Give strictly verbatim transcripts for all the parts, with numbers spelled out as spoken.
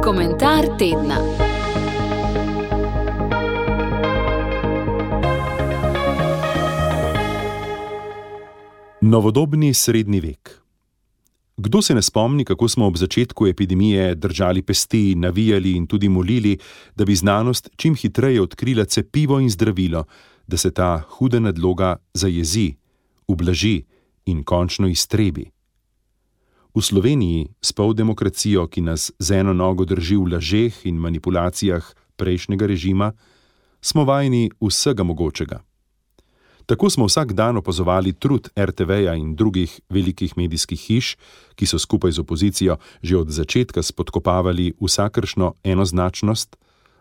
Komentar tedna. Novodobni srednji vek. Kdo se ne spomni, kako smo ob začetku epidemije držali pesti, navijali in tudi molili, da bi znanost čim hitreje odkrila cepivo in zdravilo, da se ta huda nadloga zajezi, ublaži in končno iztrebi. V Sloveniji, s poldemokracijo, ki nas z eno nogo drži v lažeh in manipulacijah prejšnjega režima, smo vajeni vsega mogočega. Tako smo vsak dan opazovali trud er te veja in drugih velikih medijskih hiš, ki so skupaj z opozicijo že od začetka spodkopavali vsakršno enoznačnost,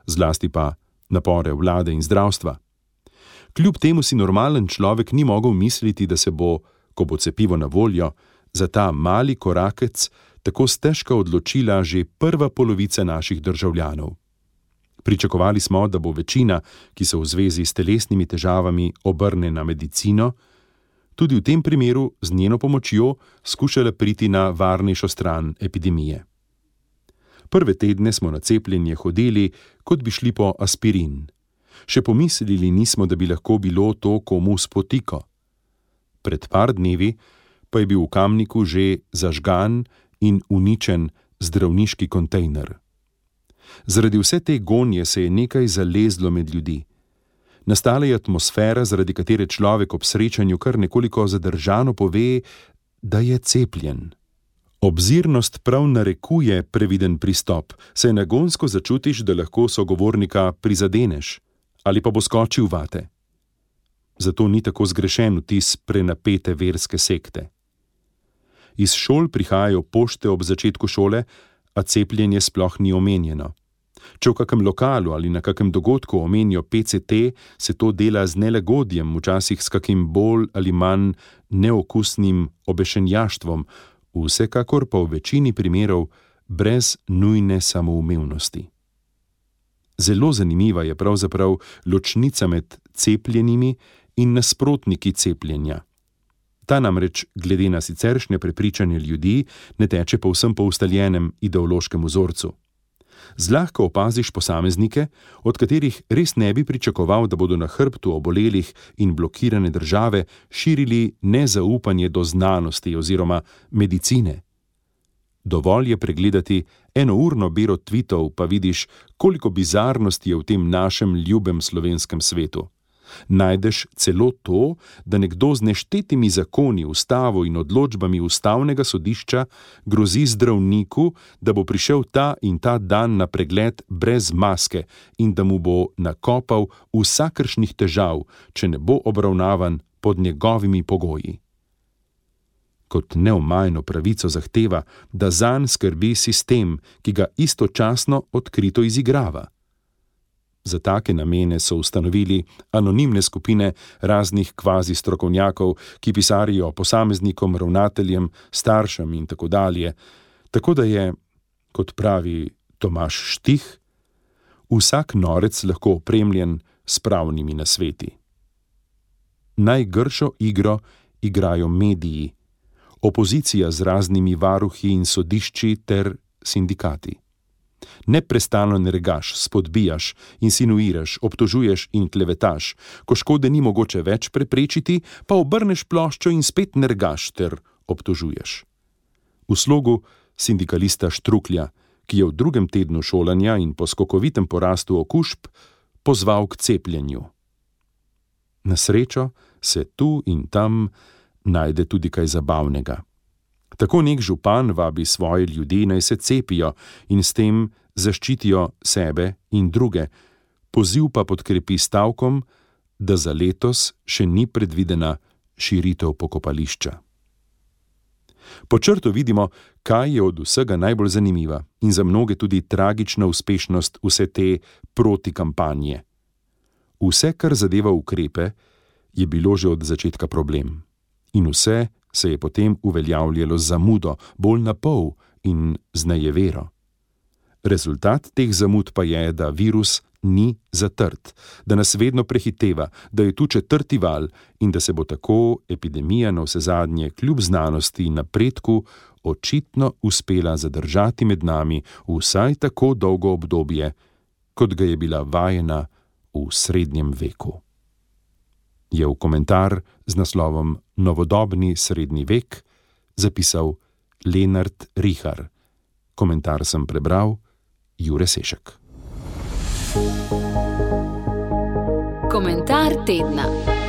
zlasti pa napore vlade in zdravstva. Kljub temu si normalen človek ni mogel misliti, da se bo, ko bo cepivo na voljo, za ta mali korakec tako stežka odločila že prva polovica naših državljanov. Pričakovali smo, da bo večina, ki se v zvezi s telesnimi težavami obrne na medicino, tudi v tem primeru z njeno pomočjo skušala priti na varnejšo stran epidemije. Prve tedne smo na cepljenje hodili, kot bi šli po aspirin. Še pomislili nismo, da bi lahko bilo to komu spotiko. Pred par dnevi pa je bil v Kamniku že zažgan in uničen zdravniški kontejner. Zaradi vse te gonje se je nekaj zalezlo med ljudi. Nastala je atmosfera, zaradi katere človek ob srečanju kar nekoliko zadržano pove, da je cepljen. Obzirnost prav narekuje previden pristop, saj nagonsko začutiš, da lahko sogovornika prizadeneš ali pa bo skočil vate. Zato ni tako zgrešen vtis prenapete verske sekte. Iz šol prihajajo pošte ob začetku šole, a cepljenje sploh ni omenjeno. Če v kakem lokalu ali na kakem dogodku omenijo pe ce te, se to dela z nelagodjem, včasih s kakim bolj ali manj neokusnim obešenjaštvom, vsekakor pa v večini primerov brez nujne samoumevnosti. Zelo zanimiva je pravzaprav ločnica med cepljenimi in nasprotniki cepljenja. Ta namreč, glede na siceršnje prepričanje ljudi, ne teče povsem po ustaljenem ideološkem vzorcu. Zlahka opaziš posameznike, od katerih res ne bi pričakoval, da bodo na hrbtu obolelih in blokirane države širili nezaupanje do znanosti oziroma medicine. Dovolj je pregledati enourno bero tvitov, pa vidiš, koliko bizarnosti je v tem našem ljubem slovenskem svetu. Najdeš celo to, da nekdo z neštetimi zakoni, ustavo in odločbami ustavnega sodišča grozi zdravniku, da bo prišel ta in ta dan na pregled brez maske in da mu bo nakopal vsakršnih težav, če ne bo obravnavan pod njegovimi pogoji. Kot neomajno pravico zahteva, da zanj skrbi sistem, ki ga istočasno odkrito izigrava. Za take namene so ustanovili anonimne skupine raznih kvazi strokovnjakov, ki pisarijo posameznikom, ravnateljem, staršem in tako dalje, tako da je, kot pravi Tomaž Štih, vsak norec lahko opremljen s pravnimi nasveti. Najgršo igro igrajo mediji, opozicija z raznimi varuhi in sodišči ter sindikati. Neprestano nergaš, spodbijaš, insinuiraš, obtožuješ in klevetaš, ko škode ni mogoče več preprečiti, pa obrneš ploščo in spet nergaš ter obtožuješ. V slogu sindikalista Štruklja, ki je v drugem tednu šolanja in po skokovitem porastu okužb pozval k cepljenju. Na srečo se tu in tam najde tudi kaj zabavnega. Tako nek župan vabi svoje ljudi, naj se cepijo in s tem zaščitijo sebe in druge, poziv pa podkrepi stavkom, da za letos še ni predvidena širitev pokopališča. Po črtu vidimo, kaj je od vsega najbolj zanimiva in za mnoge tudi tragična uspešnost vse te protikampanje. Vse, kar zadeva ukrepe, je bilo že od začetka problem. In vse se je potem uveljavljalo z zamudo, bolj na pol in z nejevero. Rezultat teh zamud pa je, da virus ni zatrt, da nas vedno prehiteva, da je tu četrti val in da se bo tako epidemija navsezadnje kljub znanosti in napredku očitno uspela zadržati med nami vsaj tako dolgo obdobje, kot ga je bila vajena v srednjem veku. Je v komentar z naslovom Novodobni srednji vek zapisal Lenart Rihar. Komentar sem prebral Jure Sešek. Komentar tedna.